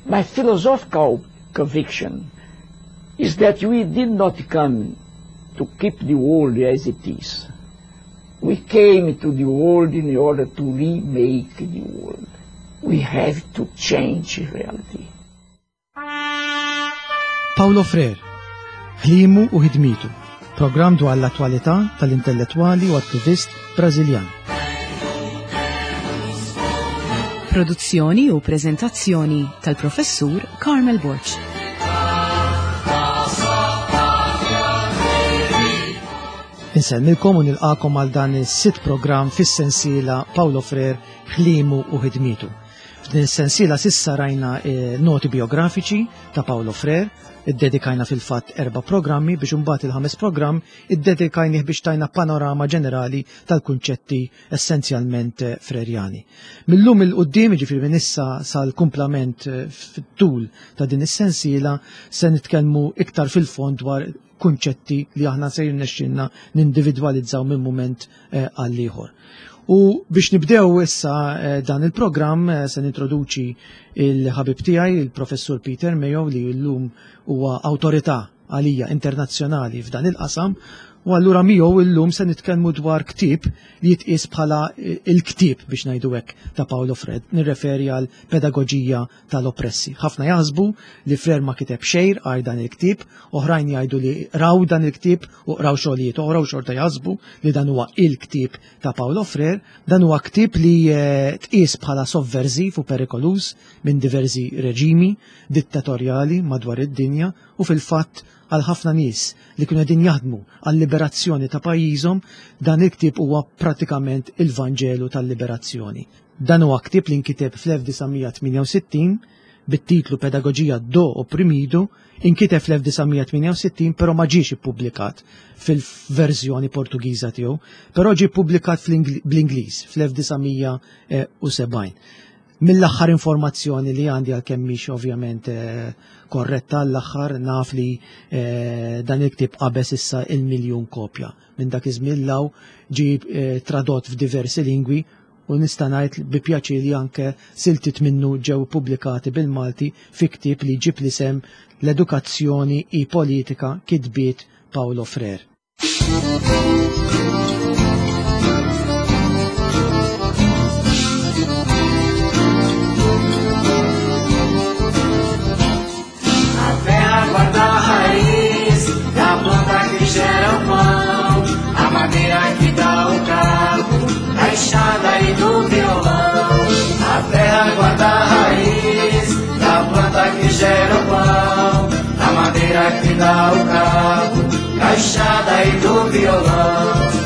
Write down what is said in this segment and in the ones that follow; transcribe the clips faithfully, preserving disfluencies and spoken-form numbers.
My philosophical conviction is that we did not come to keep the world as it is. We came to the world in order to remake the world. We have to change reality. Paulo Freire, ħlimu u ħidmitu, programm dwar l-attwalità tal-intellettwali u attivist Brażiljan. Produzzjoni u prezentazzjoni tal-professur Carmel Borg. Insellmilkom u nilqakom għal dan is-sitt programm fis-sensiela Paulo Freire ħlimu u ħidmitu. F'din is-sensiela sissa rajna eh, noti biografiċi ta' Paulo Freire, iddedikajna fil-fatt erba' programmi biex imbagħad il-ħames programm iddedikajnih biex tajna panorama ġenerali tal-kunċetti essenzjalment eh, frerjani. Millum il-qudiem, jiġifieri minn issa sal-kumplament eh, fit-tul ta' din is-sensiela, se nitkellmu iktar fil-fond dwar kunċetti li aħna se jirnexxilna nindividwalizzaw minn mument eh, għal ieħor. U biex nibdew issa eh, dan il-programm eh, se nintroduċi il-ħabib tiegħi, il-professur Peter Mayo, li llum huwa awtorità għalija internazzjonali f'dan il-qasam, u allura miegħu llum se nitkellmu dwar ktieb li jitqies bħala il-ktieb biex ngħidu hekk ta' Paulo Freire, nirreferi għal Pedagoġija tal-Oppressi. Ħafna jaħsbu li Freire ma kiteb xejn għal dan il-ktieb, oħrajn jgħidu li raw dan il-ktieb u raw xogħlijiet oħra u xorta jaħsbu li dan huwa il-ktieb ta' Paulo Freire. Dan huwa ktieb li, eh, tqies bħala sovversiv u perikoluż minn diversi reġimi dittatorjali madwar id-dinja, u fil-fatt għal ħafna nies li kienu qegħdin jaħdmu għal-liberazzjoni ta' pajjiżhom, dan il-ktieb huwa pratikament il-Vanġelu tal-liberazzjoni. Dan huwa ktieb li nkiteb fl-elf disa' mija tmienja u sittin bit-titlu Pedagoġija do Oprimido, inkiteb fl-elf disa' mija tmienja u sittin però ma ġiex ippubblikat fil-verżjoni Portugiża tiegħu, però ġie ppubblikat fl-Ingl-, bl-Ingliż fl-elf disa' mija u sebgħin. Mill-aħħar informazzjoni li għandi, għalkemm mhix ovvjament, eh, korretta l-aħħar, naf li, eh, dan il-ktieb qabeż issa il-miljun kopja. Minn dak iż-żmien law ġie, eh, tradott f'diversi lingwi, u nista' ngħid bi pjaċir li anke siltiet minnu ġew pubblikati bil-Malti fi ktieb li ġib l-isem L-Edukazzjoni i Politika, kitbiet Paulo Freire. Gera o pão, da madeira que dá o cabo, da enxada e do violão.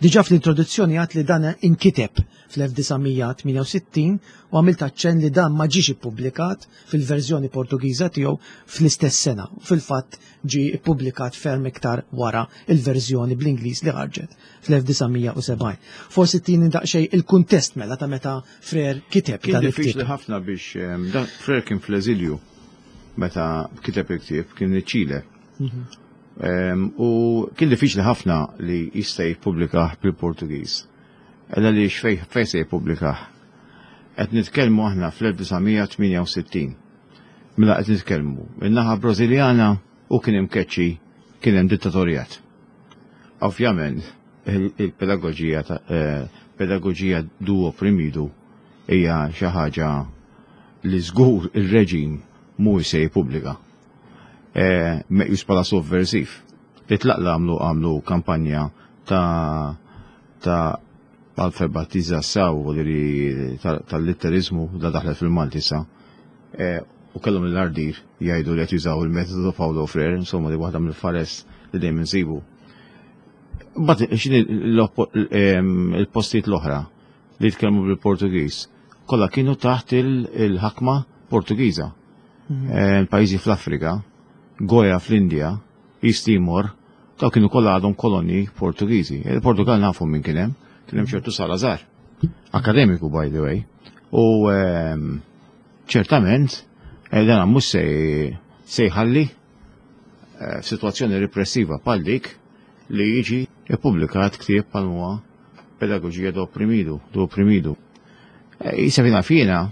Diġà fl-introduzzjoni għat li dan inkiteb fl-elf disa' mija tmienja u sittin u għamilt aċċenn li dan ma ġiex ippubblikat fil-verżjoni Portugiża tiegħu fl-istess sena. Fil-fatt ġie ippubblikat ferm iktar wara il-verżjoni bl-Ingliż li ħarġet fl-elf disa' mija u sebgħin. Forsi tini daqsxejn il-kuntest mela ta' meta Freire kiteb Kien dan il-ktieb. diffiċli ħafna biex, ehm, dan Freire kien fl-eżilju meta kiteb il-ktieb, kien iċ-Ċile. Mhm. Ehm, u kien diffiċli ħafna li jista' jippubblikah bil-Portugiż. Ella li xfej, fej se jippubblikah. Qed nitkellmu aħna fl-elf disa' mija tmienja u sittin. Mela qed nitkellmu min-naħa Brażiljana u kien imkeċċi, kien hemm dittatorjat. Ovvjament il-, il-pedagoġija ta', eh, pedagoġija du opprimidu hija xi ħaġa li żgur ir-reġim mhuwiex se jippubblika. Eh, meqjus bħala sovversiv. Itlaqla għamlu, għamlu kampanja ta', ta' alfabetizzazzjoni u li ta-, tal-litterizmu da daħlet fil-Malti sa. Eh, u kellhom l-ardir jgħidu li qed jużaw il-metodu Paulo Freire, insomma li waħda mill-fares li dejjem insibu. Mbagħad x'inhi l-oppo-, ehm, il-postijiet l-oħra li jitkellmu bil-Portugiż, kollha kienu taħt il-, il-ħakma Portugiża. Mhm. Eh, il-pajjiżi fl-Afrika, Goja fl-Indja, East Timor, daw kienu kollha għadhom kolonji Portugiżi. Il-Portugal nafu minn kien hemm, kien hemm ċertu Salazar, akademiku by the way. U, ehm, ċertament, eh, dan mhux se, se jħalli, eh, f'sitwazzjoni repressiva bħal dik li jiġi ippubblikat ktieb bħal huwa Pedagoġija do Opprimidu, do Opprimidu. Eh, jisa fina fina,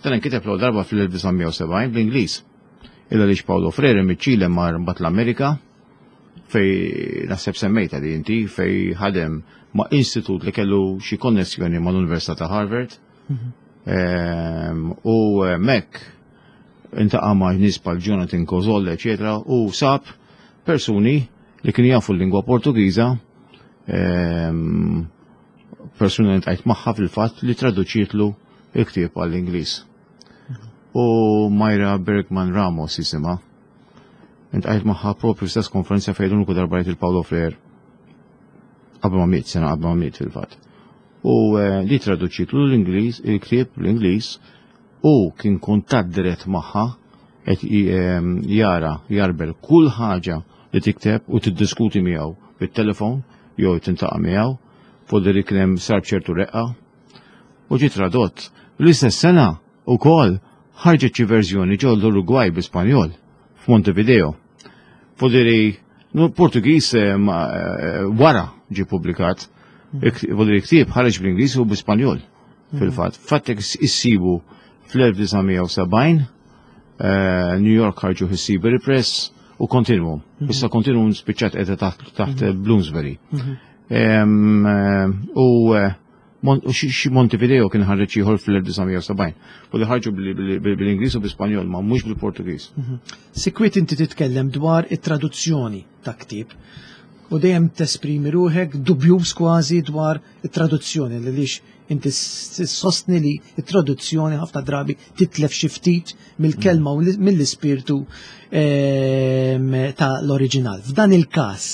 Dan inkiteb l darba fl-elf disa' mija u sebgħin bl-Ingliż. Illa li Paulo Freire miċ-Ċile mar mbagħad l-Amerika, fej naħseb semmejta di inti, fej ħadem ma' istitut li kellu xi konnessjoni ma' l-Università ta' Harvard. Ehm, U hemmhekk iltaqa' ma' nies bħal Jonathan Kozol, eccetera, u sab persuni li kienu jafu l-lingwa Portugiża, ehm, persuna li ltqajt magħha fil-fatt li traduċietlu il-ktieb għall-Ingliż. U Mayra Bergman Ramos jisimha. Iltqajt magħha propju stess konferenza fejn l-uniku darba rajt il-Paulo Freire qabel ma miet, sena qabel ma miet fil-fatt. U eh, li traduċietlu l-Ingliż, il-ktieb l-Ingliż, u kien kuntatt dirett magħha qed ehm, jara jarbel kull ħaġa li tikteb u tiddiskuti miegħu bit-telefon jew tiltaqa' miegħu, fuq li kien hemm sar ċertu reqqa u ġi tradott. L-istess sena wkoll ħarġet xi verżjoni ġol l-Uruguay bi-Spanjol f'Montevideo. Fodiri, no, Portugiż eh, ma- eh, wara ġi publikat. Fodiri ktieb ħareġ bl-Ingliż u bi-Spanjol fil-fatt. Fattek issibu fl-elf disa' mija u sebgħin, eh, New York ħarġu Seabury Press u Continuum. Issa Continuum spiċċat qiegħda taħt taħt Bloomsbury. Em, eh, U eh, Mon- u xi xi Montevideo kien ħareġ ieħor fl-elf disa' mija u sebgħin. U li ħarġu bil- bil- bil- bil-Ingliż u bil-Spanjol, ma mhux bil-Portugiż. Sikwit inti titkellem dwar it-traduzzjoni ta' ktieb u dejjem tesprimi ruħek dubjuż kważi dwar it-traduzzjoni li lix inti sostni li it-traduzzjoni ħafna drabi titlef xi ftit mill-kelma u li- mill-ispirtu ehm, ta' l-oriġinal. F'dan il-każ,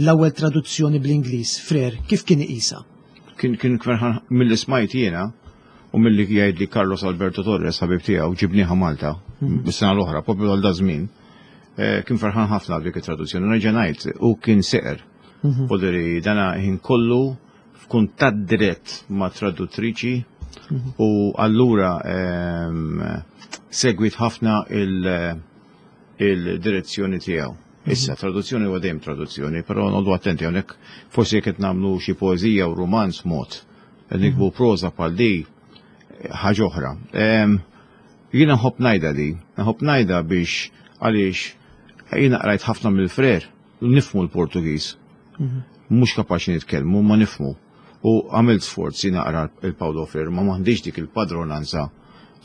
l-ewwel traduzzjoni bl-Ingliż, Freire, kif kien iqisha? Kien kien ferħan mill smajt jiena u milli jgħid li Carlos Alberto Torres, ħabib tiegħu, ġibnieha Malta bis-sena l-oħra, propju għal daż-żmien. eh, Kien ferħan ħafna dik it-traduzzjoni. Nerġa' ngħid, u kien seqer. Poderi dana ħin kollu f'kuntatt dirett ma' traduttriċi u allura ehm, segwit ħafna il- il-direzzjoni tiegħu. Issa, traduzzjoni huwa dejjem traduzzjoni, però noqogħdu attenti hawnhekk, forsi jekk qed nagħmlu xi poeżija u romanz mod, qed niktbu proża bħal di ħaġa oħra. Em, Jiena nħobb ngħidha di, nħobb ngħidha biex għaliex jiena qrajt ħafna mill-Freire, nifhmu l-Portugiż. Mhux kapaċi nitkellmu, ma nifhmu. U għamilt sforzi naqra il-Paulo Freire, ma m'għandix dik il-padronanza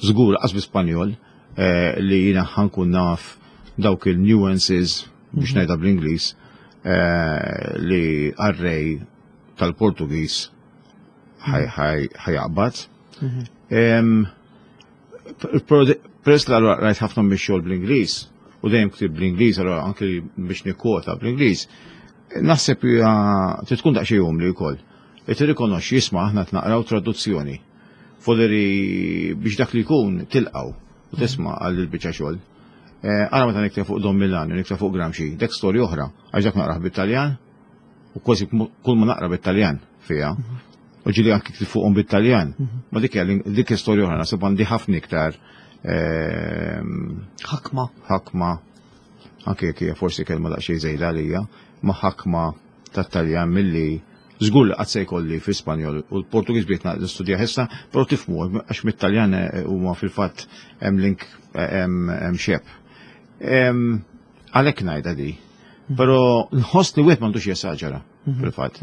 żgur qas bi-Spanjol eh, li jiena ħa nkun naf dawk il-nuances biex ngħidha bl-Ingliż eh, li qarrej tal-Portugiż ħa jaqbad. Em, Peress li allura rajt ħafna mix-xogħol bl-Ingliż u dejjem ktib bl-Ingliż, allura anke biex nikkwota bl-Ingliż, naħseb hija trid tkun daqsxejn umli wkoll. E tirrikonoxxi, jisma', aħna naqraw traduzzjoni. Foderi biex dak li jkun tilqaw u tisma' għal il-biċċa xogħol. Eh, Ara meta nikteb fuq Don Milani, nikteb fuq Gramsci, dak storja oħra, għax dak naqrah bit-Taljan u kważi kull ma naqra bit-Taljan fiha. U ġieli anki ktib fuqhom bit-Taljan. Ma dik hija dik storja oħra, naħseb għandi ħafna iktar ehm, Ħakma. Ħakma, anke jekk hija forsi kelma daqsxejn żejda għalija, ma ħakma tat-Taljan milli żgur li qatt se jkolli fi Spanjol u l-Portugiż bdejt nistudja issa, però tifhmu għax mit-Taljan eh, huma fil-fatt hemm link, eh, hemm hemm xebh. Em, Għalhekk ngħidha di. Però nħoss li wieħed m'għandux jesaġera fil-fatt.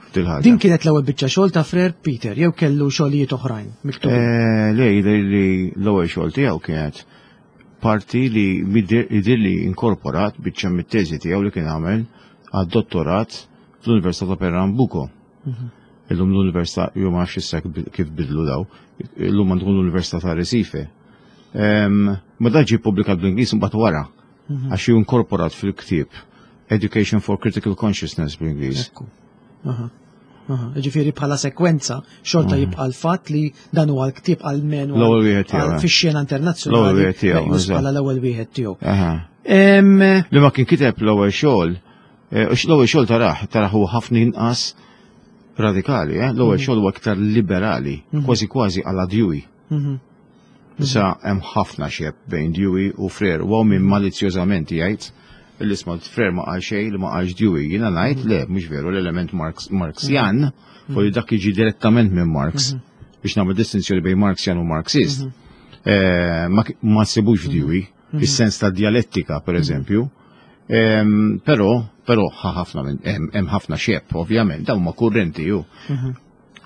F'dil-ħaġa. Din kienet l-ewwel biċċa xogħol ta' Freire, Peter, jew kellu xogħlijiet oħrajn miktubin? Eh, Le, jidher li l-ewwel xogħol tiegħu kienet parti li jidher li inkorporat biċċa mit-teżi tiegħu li kien għamel għad-dottorat fl-Università ta' Pernambuco. Illum l-Università, jew ma nafx issa kif bidlu daw, illum għandhom l-Università ta' Recife. Em, Ma dan ġie ppubblikat bl-Ingliż mbagħad wara, għax ju inkorporat fil-ktieb Education for Critical Consciousness bl-Ingliż. Ekku. Aha. Aha. Ġifieri bħala sekwenza xorta jibqa' l-fatt li dan huwa l-ktieb għalmenu L-ewwel wieħed tiegħu, eh. fix-xena internazzjonali L-ewwel wieħed tiegħu, meqjus eżatt. bħala l-ewwel wieħed tiegħu. Aha. Em, Li ma kien kiteb l-ewwel xogħol, eh, u l-ewwel xogħol taraħ, taraħ huwa ħafna inqas radikali, eh? L-ewwel xogħol huwa iktar liberali, kważi kważi għala Dewey. mhm. Issa hemm ħafna xebh bejn Dewey u Freire, u min malizzjożament jgħid li isma', Freire ma qal xejn li ma qalx Dewey. Jiena ngħid le, mhux veru, l-element Marx, Marxian, u li dak jiġi direttament minn Marx. biex nagħmel distinzjoni bejn Marxjan u Marxist, eh, ma ma ssibux f'Dewey, fis-sens ta' dialettika, per eżempju. Em, Però, però ħa ħafna minn hemm hemm ħafna xebh, ovvjament, dawn huma kurrenti ju.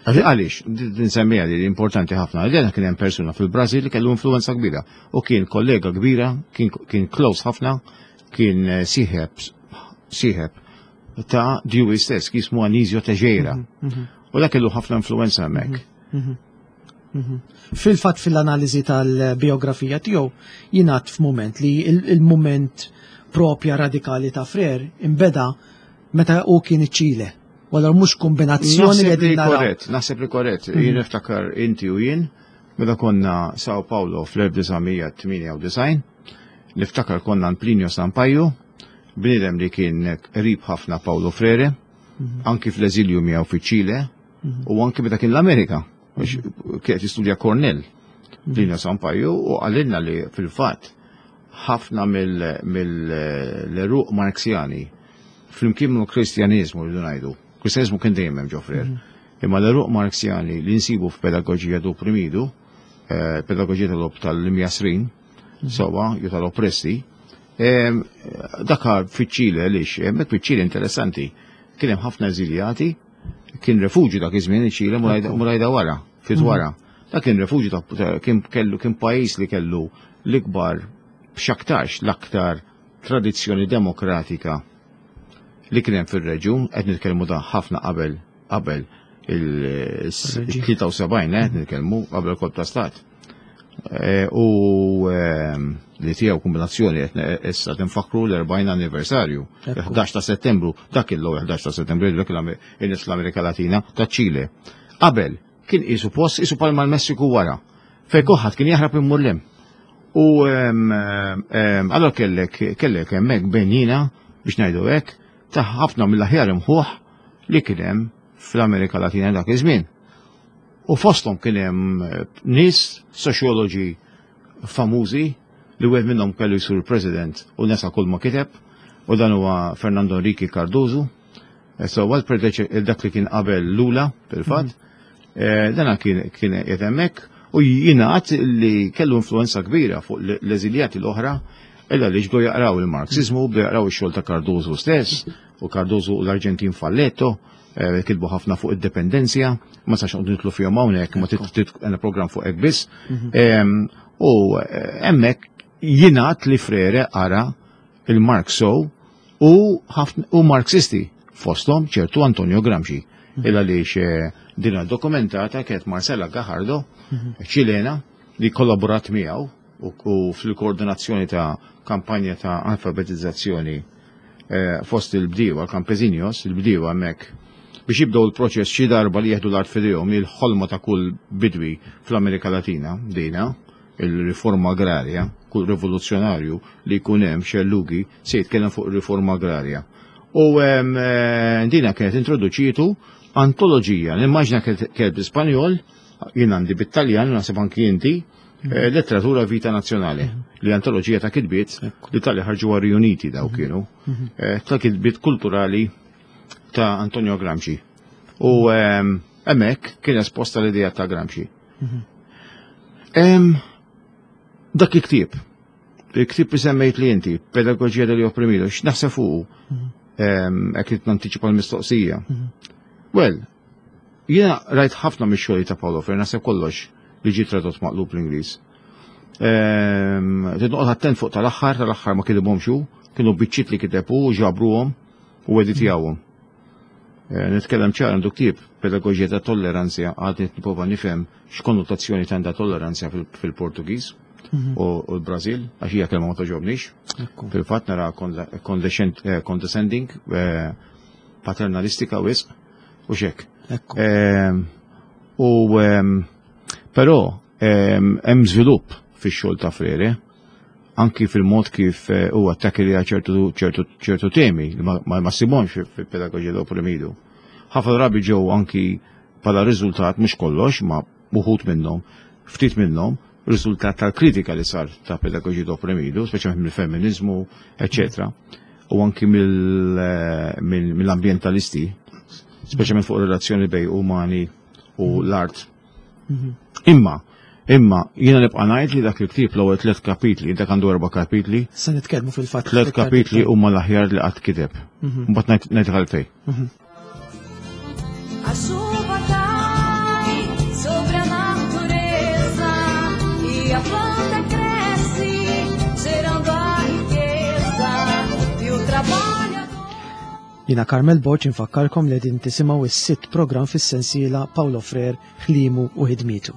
Għaliex, din semmija li importanti ħafna, għaliex kien hemm persuna fil-Brażil li kellu influenza kbira u kien kollega kbira, kien, kien close ħafna, kien eh, sieħeb sieħeb ta' Dewey stess, kien jismu Anisio Teixeira. U dak kellu ħafna influenza hemmhekk. Fil-fatt, fil-analiżi tal-biografija tiegħu jingħad f'mument li il- il-mument propja radikali ta' Freire imbeda meta hu kien iċ-Ċile. Walla mhux kombinazzjoni li Naħseb li qegħdin naraw. korrett, naħseb li korrett. Jien niftakar inti u jien, meta konna Sao Paulo fl-elf disa' mija tmienja u disgħin, niftakar konna Plinio Sampaio, bniedem li kien qrib ħafna Paulo Freire, anki fl-eżilju miegħu fiċ-Ċile, u anki meta kien l-Amerika, għax kien qed jistudja Cornell, Plinio Sampaio, u qalilna li fil-fatt ħafna mill-għeruq Marxjani flimkien mal kristjanizmu li ngħidu. Kristjanizmu kien dejjem hemm ġo Freire. Imma l-għeruq Marxjani li nsibu f'Pedagogia do Oprimido, eh, pedagoġija tal-op tal-imjassrin, sowa, jew tal-oppressi, em, dakar fiċ-Ċile lix, hemmhekk fiċ-Ċile interessanti, kien hemm ħafna eżiljati, kien refuġju dak iż-żmien iċ-Ċile murajda wara, fit wara. Dak kien refuġju ta' kien kellu kien pajjiż li kellu l-ikbar, b'xaktarx l-aktar tradizzjoni demokratika li kien hemm fir-reġjun, qed nitkellmu da ħafna qabel qabel il-tlieta u sebgħin, eh, qed nitkellmu qabel kolp ta' stat. Eh, U ehm, li tiegħu kombinazzjoni qed ne- issa tinfakru l-erbgħin anniversarju. Ekku. ħdax ta' Settembru, dak il ħdax ta' Settembru, dak il-nies l-Amerika Latina ta' Ċile. Qabel kien qisu post qisu palma l-Messiku wara. Fejn kulħadd kien jaħrab immur lem. U ehm, ehm, allora kellek kellek hemmhekk benjina, biex ngħidu hekk, ta' ħafna mill-aħjar imħuħ li kien hemm fl-Amerika Latina dak iż-żmien. U fosthom kien hemm eh, nies soċjoloġi famużi li wieħed minnhom kellu jsir president u nesa kull ma kiteb, u dan huwa Fernando Henrique Cardoso. Eh, So għal dak li kien qabel Lula fil-fatt, eh, dan kien kien qiegħed hemmhekk u jingħad li kellu influenza kbira fuq l-eżiljati l-oħra illa li ġdu jaqraw il-Marxizmu, bdew jaqraw ix-xogħol ta' Cardoso stess, u Cardoso u l-Arġentin Falletto, eh, kitbu ħafna fuq id-dependenzja, ma sax noqgħdu nidħlu fihom hawnhekk, ma tit għandna program fuq hekk biss. Em, U eh, hemmhekk jingħad li Freire qara il-Marx u ħafna u Marxisti fosthom ċertu Antonio Gramsci. Illa li dina dokumentata kienet Marcela Gajardo, Ċilena, li kollaborat miegħu u, u fil-koordinazzjoni ta' kampanja ta' alfabetizzazzjoni eh, fost il-bdiewa, campesinos, il-bdiewa hemmhekk biex jibdew il-proċess xi darba li jieħdu l-art f'idejhom, il-ħolma ta' kull bidwi fl-Amerika Latina, dina, il-riforma agrarja, kull rivoluzzjonarju li jkun hemm xellugi se jitkellem fuq il-riforma agrarja. U em, eh, dina kienet introduċitu antoloġija, nimmaġina kienet bl-Ispanjol, jien għandi bit-Taljan, naħseb anki inti, eh, Letteratura Vita Nazionale, li antoloġija ta' kitbiet li tal ħarġu Riuniti daw kienu, eh, ta' kitbiet kulturali ta' Antonio Gramsci. U em, hemmhekk kien esposta l-idea ta' Gramsci. Em, Dak il-ktieb, il-ktieb li semmejt li inti, Pedagogia dell'Opprimido, x'naħseb fuqu? Em, Hekk qed nantiċipa l-mistoqsija. Well, jiena rajt ħafna mix-xogħol ta' Paulo Freire, naħseb kollox li ġie tradott maqlub l-Ingliż. Trid noqgħod attent fuq tal-aħħar, tal-aħħar ma kitibhomx hu, kienu biċċiet li kiteb hu, ġabruhom u editjawhom. Eh, Nitkellem ċar, għandu ktieb Pedagoġija ta' Tolleranzja, għad nipprova nifhem x'konnotazzjoni għandha tolleranzja fil- fil-Portugiż u u l-Brażil, għax hija kelma ma togħġobnix. Ekku. Fil-fatt nara condescend- eh, condescending, eh, paternalistika wisq u xek. Ekku. Ehm, U ehm, però ehm, hemm żvilupp fix-xogħol ta' Freire, anki fil-mod kif eh, huwa attakki ċertu ċertu ċertu temi li ma ma ma ssibhomx fil-Pedagogia dell'Opprimido. Ħafna drabi ġew anki bħala riżultat, mhux kollox, ma uħud minnhom, ftit minnhom, riżultat tal-kritika li sar ta' Pedagogia dell'Opprimido, speċjalment mill-feminizmu, eccetera, u anki mill- eh, mill- mill-ambientalisti, speċjalment fuq relazzjoni bejn umani u l-art. Imma, imma jiena nibqa' ngħid li dak il-ktieb, l-ewwel tliet kapitli, dak għandu erba' kapitli, Se nitkellmu fil-fatt. tliet kapitli huma l-aħjar li qatt kiteb. Mbagħad ngħid ngħid għalfejn. A chuva cai sobre a natureza e a planta cresce, gerando a riqueza. E o trabalhador. Jiena Carmel Borg, infakkarkom li din tisimgħu is-sitt programm fis-sensiela Paulo Freire, Ħliemu u Ħidmietu.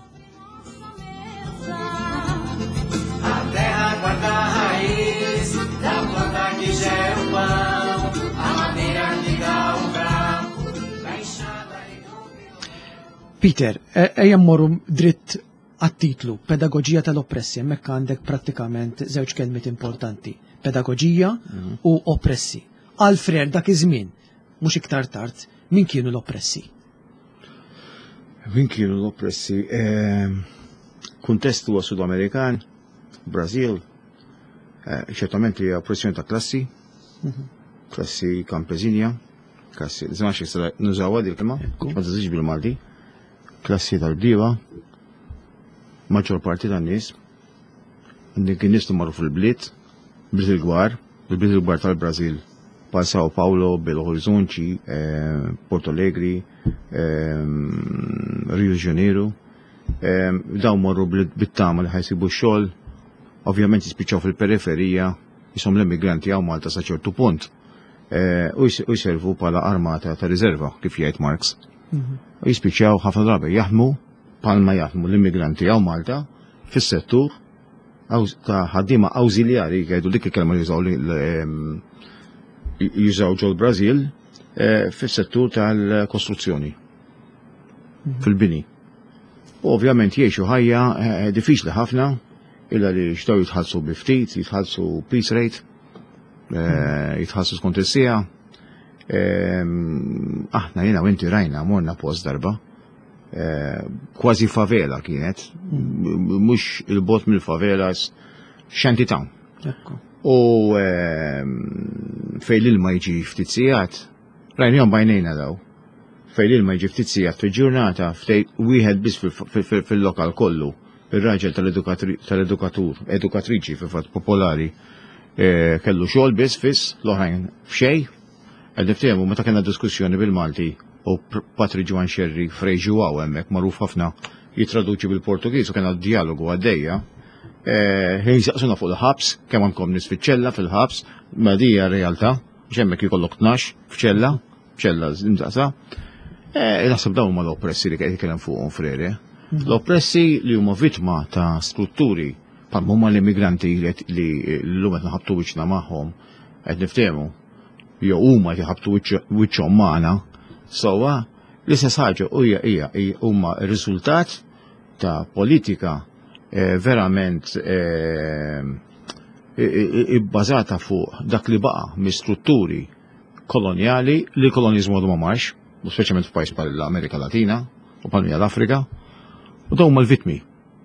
A terra guarda a raiz da planta que gera o pão, a madeira que dá o bravo, da enxada e do Peter, e- ejja mmorru dritt għat-titlu, Pedagoġija tal-Oppressi, hemmhekk għandek prattikament żewġ kelmiet importanti, pedagoġija u oppressi. Għal Freire dak iż-żmien, mhux iktar tard, min kienu l-oppressi? Min kienu l-oppressi? Ehm, Kuntest huwa Sud-Amerikan, Brażil, eh, ċertament hija oppressjoni ta' klassi, klassi kampesinja, klassi, zma xi nużawha din il-kelma, Ekku. ma tiżix bil-Malti, klassi tal-bdiewa, maġġor parti tan-nies, għandek in-nies li marru fil-bliet, bliet il-kbar, il-bliet il-kbar tal-Brażil, bħal Sao Paulo, Belo Horizonte, eh, Porto Alegre, eh, Rio de Janeiro. Eh, dawn marru bl- bit-tama li ħa jsibu xogħol, ovvjament jispiċċaw fil-periferija, jisom l-immigranti hawn Malta sa ċertu punt. Eh, u js- u jservu bħala armata ta' riserva, kif jgħid Marx. U jispiċċaw ħafna drabi jaħdmu bħalma jaħdmu l-immigranti hawn Malta fis-settur aw- ta' ħaddiema awżiljari, jgħidu dik il-kelma li jużaw li- li, em, jużaw ġol Brażil eh, fis-settur tal-kostruzzjoni, fil-bini. U ovvjament jgħixu ħajja eh, diffiċli ħafna, illa li xtaw jitħallsu bi ftit, jitħallsu piece rate, eh, jitħallsu skont is-siegħa. Ehm, Aħna jiena u inti rajna morna post darba, eh, kważi favela kienet, m- mhux il-bogħod mill-favelas, shanty town. Ekku. U ehm, fejn l-ilma jiġi ftit sigħat, rajnihom b'għajnejna daw. Fejn l-ilma jiġi ftit sigħat fil-ġurnata, ftejt wieħed biss fil- fil- fil- fil-lokal kollu, ir-raġel tal-edukatri- tal-edukatur, edukatriċi fil-fatt popolari, eh, kellu xogħol biss fiss, l-oħrajn f'xejn. Qed niftehmu meta kellna diskussjoni bil-Malti u Pr- Patri Ġwan Xerri Frei João hemmhekk magħruf ħafna jitraduċi bil-Portugiż u kellna dialogu għaddejja. Eh, Ħin saqsuna fuq il-ħabs, kemm għandkom nies fiċ-ċella fil-ħabs, ma di hija realtà, biex hemmhekk jkollok tnax f'ċella, f'ċella imdaqsa. Eh, Naħseb dawn huma l-oppressi li qed jitkellem fuqhom Freire. L-oppressi li huma vittma ta' strutturi bħal huma l-immigranti li qed- li llum qed naħabtu wiċċna magħhom, qed niftehmu, jew huma qed jħabtu wiċċ- wiċċhom magħna, sewwa l-istess ħaġa hija hija hija- huma r-riżultat ta' politika eh, verament eh, i- i- ibbażata fuq dak li baqa' mis-strutturi kolonjali li l-kolonizmu għadu ma marx, u speċjalment f'pajjiż bħal l-Amerika Latina u bħal l-Afrika, u dawn huma l-vittmi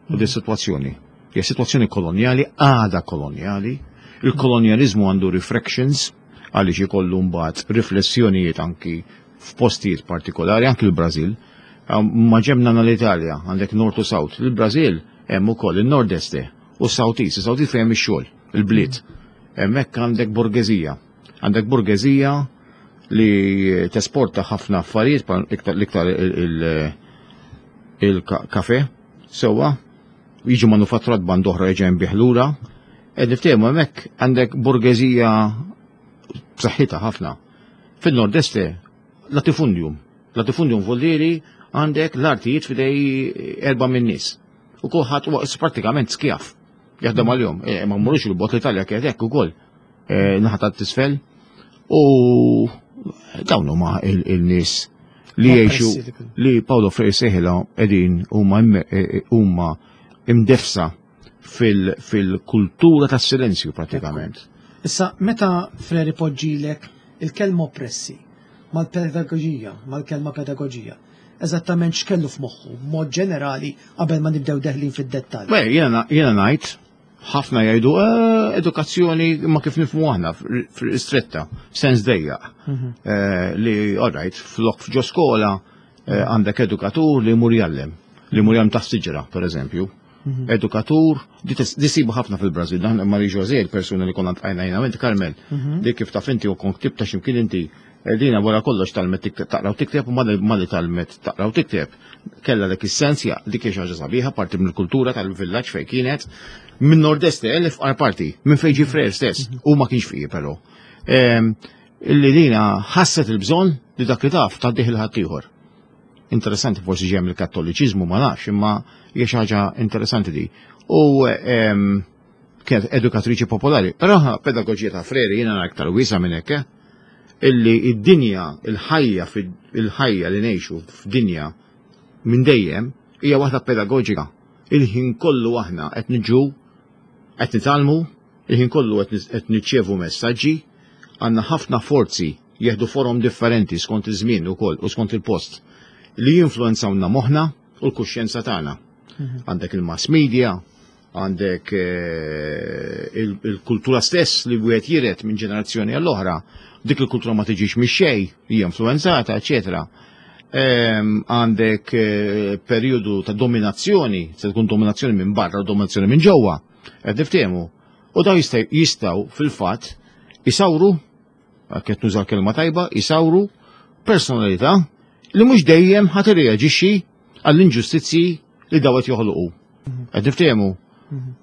u di situazzjoni. Hija situazzjoni kolonjali, għada kolonjali, il-kolonjalizmu għandu reflections, għaliex ikollu mbagħad riflessjonijiet anki f'postijiet partikolari, anki l-Brażil. Ma ġemna l-Italja, għandek North u South. Il-Brażil hemm ukoll il-Nord-Este u South East, il-South East fejn hemm ix-xogħol, il-bliet. Hemmhekk għandek borgezija. Għandek borgezija li tesporta ħafna affarijiet, bħal iktar- l-iktar il- il-kafe, sewwa, jiġu manufatturat band oħra jiġi jinbiegħ lura. Ed niftehmu hemmhekk għandek borgezija b'saħħitha ħafna. Fin-Nord-Este latifundium. Latifundium vuldiri għandek l-artijiet f'idej erba' minn nies. U kulħadd huwa pratikament skjav. Jaħdem għalihom. E, ma mmurux il-bogħod, l-Italja kienet hekk ukoll. E, naħa ta' tisfel. U dawn huma il- il-nies li jgħixu Oppressi li kienu. li Paulo Freire seħila qegħdin huma imme- e- e- huma imdefsa fil- fil-kultura tas-silenzju pratikament. Issa, meta Freire poġġilek il-kelma oppressi mal-pedagogija, mal-kelma pedagogija, eżattament x'kellu f'moħħu, b'mod ġenerali, qabel ma nibdew deħlin fid-dettall? Beh, jiena jiena ngħid ħafna jgħidu "Eh, edukazzjoni ma kif nifhmu aħna fil-istretta, sens dejjaq. Eh, Li, all right, flok f'ġo skola eh, għandek edukatur li jmur jgħallem. Li mur jam taħt siġra, per eżempju. Edukatur, di tis- di sibu ħafna fil-Brazil, dan Marie José, il-persuna li konna tqajna jina, inti Carmel, dik kif taf inti u kont ktibta x'imkien inti, eh, dina wara kollox tgħallmet tikteb- taqra u tikteb u malli malli tgħallmet taqra u tikteb. Kella dak is-sens, ja, dik hija xi ħaġa sabiħa, parti mill-kultura tal-villaġġ fejn kienet, minn Nordeste, l-ifqar parti, minn fejn ġie Freire stess, u ma kienx fqir però. Ehm, Illi dina ħasset il-bżonn li dak li taf tgħaddih lil ħaddieħor. Interessanti, forsi ġej mill-Kattoliċiżmu, ma nafx, imma hija xi ħaġa interessanti di. U ehm, kienet edukatriċi popolari. Però ħa, pedagoġija ta' Freire jiena nara aktar wiesa minn hekk, eh? Illi id-dinja, il-ħajja, il-ħajja li ngħixu f'dinja minn dejjem hija waħda pedagoġika. Il-ħin kollu aħna qed niġu, qed nitgħallmu, il-ħin kollu qed nirċievu messaġġi, għandna ħafna forzi jieħdu forom differenti skont iż-żmien ukoll u skont il-post li jinfluenzawna moħħna u l-kuxjenza tagħna. Għandek il-mass media, għandek eh, il-kultura stess li wieħed jiret minn ġenerazzjoni għall-oħra, dik il-kultura ma tiġix mix xejn, hija influenzata, eċetera. Ehm, għandek eh, periodu ta' dominazzjoni, se tkun dominazzjoni minn barra u dominazzjoni minn ġewwa, qed niftehmu. U daw jistgħu fil-fatt isawru, qed nuża kelma tajba, isawru personalità li mhux dejjem ħa tirreaġixxi għall-inġustizzji li daw qed joħolqu. Qed niftehmu.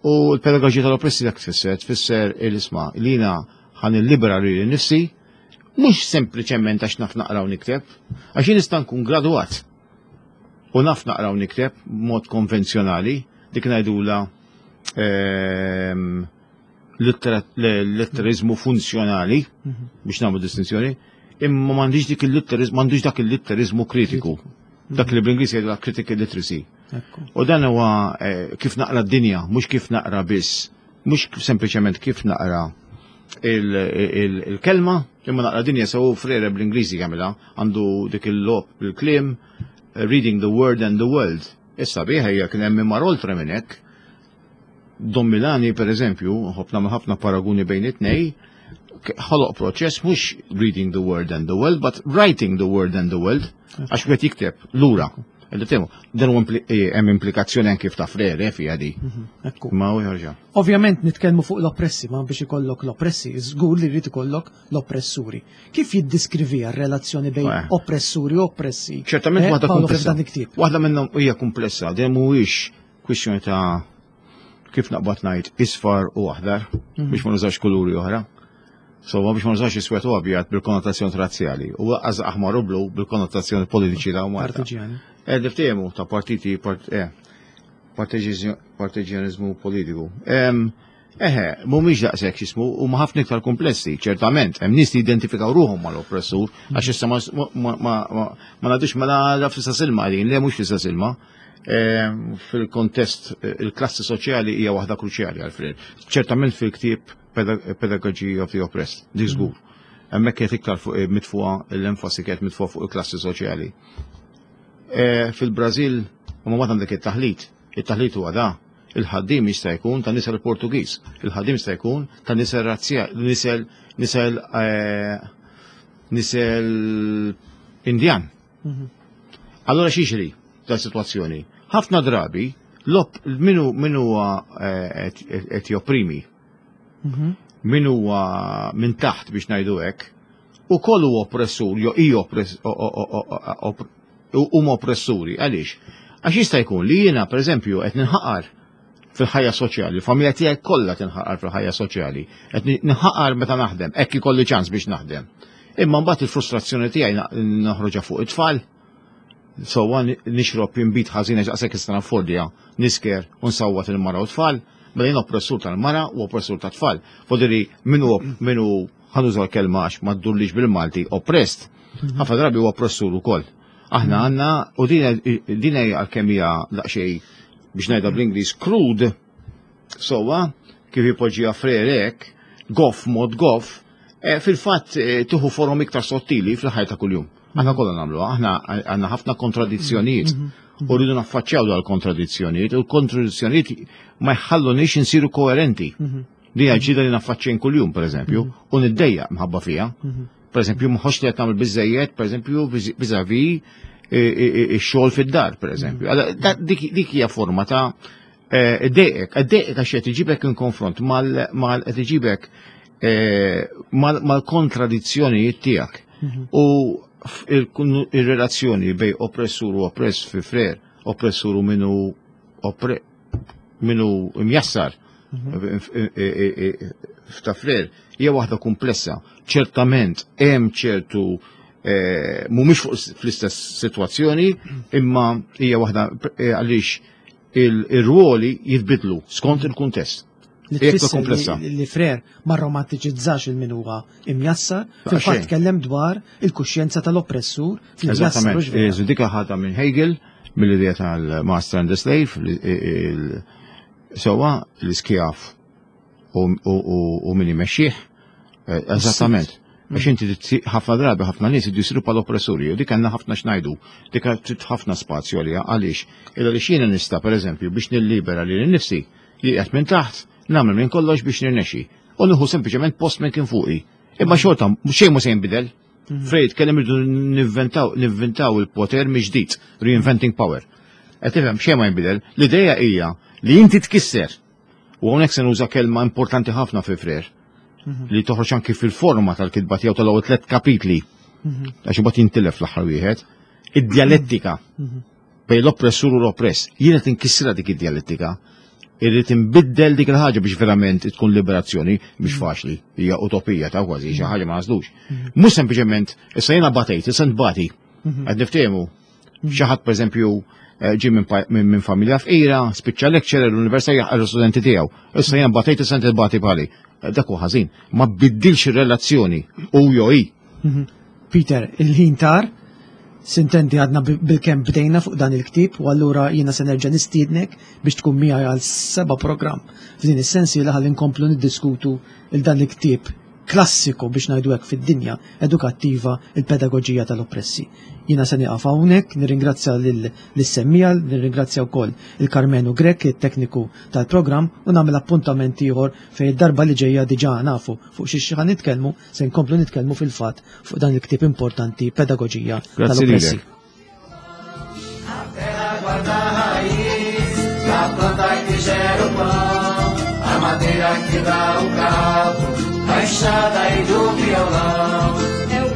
U l-pedagoġija tal-oppressi dak tfisser, tfisser il-isma' li jiena ħa nillibera lili nnifsi, mhux sempliċement għax naf naqra u nikteb, għax jien nista' nkun gradwat u naf naqra u nikteb mod konvenzjonali, dik ngħidula ehm, litterizmu funzjonali, biex nagħmlu distinzjoni, imma m'għandix dik il-litterizmu, m'għandux dak il-litterizmu kritiku. Dak li bl-Ingliż jgħidu critical literacy. U dan huwa eh, kif naqra d-dinja, mhux kif naqra biss, mhux sempliċement kif naqra il-kelma, imma naqra dinja sew. Freire bl-Ingliżi jagħmilha, għandu dik il-logħob bil-kliem, "reading the word and the world". Issa biha hija kien hemm mar oltre minn hekk. Don Milani, per eżempju, ħobna ħafna paraguni bejn it-tnej, ħoloq proċess mhux reading the word and the world, but writing the word and the world, għax wieħed jikteb lura. Dan eh, hemm implikazzjoni anke ta' Freire fiha di. Mhm, Ma u jarġa'. Ovvjament nitkellmu fuq l-oppressi, ma biex ikollok l-oppressi, żgur li jrid ikollok l-oppressuri. Kif jiddiskrivi r-relazzjoni bejn eh. oppressuri u oppressi? Ċertament eh, waħda komplessa. Waħda minnhom hija komplessa, din mhuwiex kwistjoni ta' kif naqbad ngħid isfar u aħdar mhm. biex ma nużax kuluri oħra. So, biex ma nużax iswed u abjad bil-konnotazzjoni razzjali u lanqas aħmar u blu bil-konnotazzjoni politiċi ta' Malta. Partiġjani. Eh, niftehmu ta' partiti, part, eh, partiġjanizmu politiku. Em, Eħe, mhumiex daqshekk x'ismu, huma ħafna iktar komplessi, ċertament, hemm nies li identifikaw ruħhom mal-oppressur, għax issa ma ma ma ma ma ngħidux mela la fl-istess ilma qegħdin, le, mhux fl-istess ilma. Em, Fil-kontest, eh, il-klassi soċjali hija waħda kruċjali għal Freire. Ċertament fil-ktieb Pedagogy of the Oppressed, di żgur. Hemmhekk kienet iktar fuq eh, mitfuqa l-enfasi kienet mitfuqa fuq il-klassi soċjali. Eh, Fil-Brażil, u ma għandek it-taħlit, it-taħlit huwa da. Il-ħaddim jista' jkun ta' nisel Portugiż, il-ħaddim jista' jkun ta' nisel razzja, nisel nisel eh, nisel Indjan. Allora x'jiġri ta' situazzjoni? Ħafna drabi l-op minu minu huwa eh, qed qed jopprimi, min huwa minn taħt biex ngħidu hekk, ukoll huwa oppressur, jew hi oppress- o- o- o- o- op- huma oppressuri. Għaliex? Għax jista' jkun li jiena, pereżempju, qed ninħaqar fil-ħajja soċjali, il-familja tiegħi kollha tinħaqar fil-ħajja soċjali, qed ninħaqar meta naħdem, hekk ikolli ċans biex naħdem. Imma mbagħad il-frustrazzjoni tiegħi na- noħroġha fuq it-tfal, so nixrob inbid ħażin għax daqshekk nista' naffordja, nisker u nsawwat il-mara u tfal, mela jien oppressur tal-mara u oppressur tat-tfal. Fodiri minu minu ħa nuża l-kelma għax ma ddurlix bil-Malti, oppressed, ħafna drabi huwa oppressur ukoll. Aħna għandna u din din hija għalkemm hija daqsxejn, biex ngħidha bl-Ingliż, crude, sowa kif ipoġġiha Freire hekk, goff mod goff, eh, fil-fatt eh, tieħu forom iktar sottili fil-ħajja ta' kuljum. Aħna kollha nagħmluha, aħna għandna ħafna kontradizzjonijiet. U rridu naffaċċjaw dal kontradizzjonijiet, u l-kontradizzjonijiet ma jħallunix insiru koerenti. Din hija ġida li naffaċċjin kuljum, pereżempju, u niddejjaq mħabba fija. Per eżempju, mħox li qed nagħmel biżejjed, per eżempju, vis-à-vis ix-xogħol fid-dar, pereżempju. Dik hija forma ta' dejqek, dejqek għax qed iġibek in konfront mal qed iġibek mal-kontradizzjonijiet tiegħek. U il-relazzjoni bej oppressur u oppress fi Freire, oppressur u minu minu imjassar f'ta' Freire, hija waħda komplessa. Ċertament hemm ċertu mhumiex fuq fl-istess sitwazzjoni, imma hija waħda għaliex il-ruoli jitbidlu skont il-kuntest. Li tfisser li Freire ma romantiċizzax il-min huwa imjassar, fil-fatt tkellem dwar il-kuxjenza tal-oppressur fl-imjassar. Eżattament, dik ħadha minn Hegel, mill-idea tal-Master and the Slave, sewwa l-iskjav u min imexxih, eżattament. Għax inti ħafna drabi ħafna nies jridu jsiru bħal oppressuri, u dik għandna ħafna x'ngħidu, dik trid ħafna spazju għaliha, għaliex illa li jiena nista' pereżempju biex nillibera lili nnifsi, qiegħed minn taħt, nagħmel minn kollox biex nirnexxi. U nieħu sempliċement post minn kien fuqi. Imma xorta xejn mhu se jinbidel. Freire tkellem irridu nivventaw nivventaw il-poter mill-ġdid, reinventing power. Qed tifhem xejn ma jinbidel. L-idea hija li inti tkisser. U hawnhekk se nuża kelma importanti ħafna fi Freire li toħroġ anki fil-forma tal-kitba tiegħu tal-ewwel tliet kapitli. Għax imbagħad jintilef l-aħħar wieħed. Id-dialettika bejn l-oppressur u l-oppress. Jiena tinkissra dik id-dialettika. Irrid inbiddel dik il-ħaġa biex verament tkun liberazzjoni, mhix faċli, hija utopija ta' kważi xi ħaġa ma naslux. Mhux sempliċement issa jiena batejt, issa nbati. Qed niftehmu. Xi ħadd pereżempju ġie minn familja fqira, spiċċa lecturer l-università jaħqar l-studenti tiegħu. Issa jiena batejt, issa bati bħali. Dak huwa ħażin. Ma biddilx ir-relazzjoni u jew hi. Peter, il-ħin tar, sintendi għadna bil-kemm bdejna fuq dan il-ktib u allura jiena se nerġa' nistiednek biex tkun miegħi għal seba' programm f'din is-sensi li ħalli nkomplu niddiskutu il dan il-ktieb klassiku biex ngħidu hekk fid-dinja edukattiva, il-pedagoġija tal-oppressi. Jiena se nieqaf hawnhekk, nirringrazzja lis-semmiegħa, nirringrazzja wkoll il-Karmenu Grech, it-tekniku tal-programm, u nagħmel appuntament ieħor fejn id-darba li ġejja diġà nafu fuq xi xi nitkellmu, se nkomplu nitkellmu fil-fatt fuq dan il-ktieb importanti, pedagoġija tal-oppressi. A terra guarda a raiz da planta que gera o pão, a madeira que dá o cabo, a enxada e do violão. É o